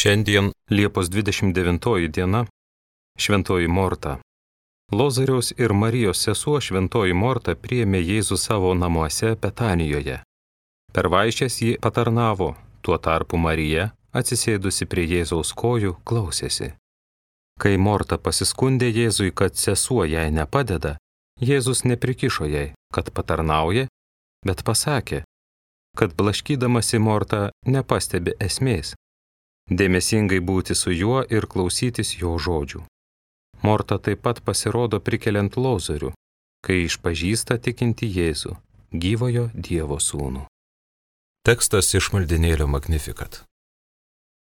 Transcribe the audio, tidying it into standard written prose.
Šiandien Liepos 29 diena, Šventoji Morta. Lozoriaus ir Marijos sesuo Šventoji Morta priėmė Jėzų savo namuose Betanijoje. Per vaišes ji patarnavo, tuo tarpu Marija, atsisėdusi prie Jėzaus kojų, klausėsi. Kai Morta pasiskundė Jėzui, kad sesuo jai nepadeda, Jėzus neprikišo jai, kad patarnauja, bet pasakė, kad blaškydamasi Morta nepastebi esmės. Dėmesingai būti su juo ir klausytis jo žodžių. Morta taip pat pasirodo prikeliant Lozorių, kai išpažįsta tikinti Jėzų, gyvojo Dievo sūnų. Tekstas iš maldynėlio Magnificat.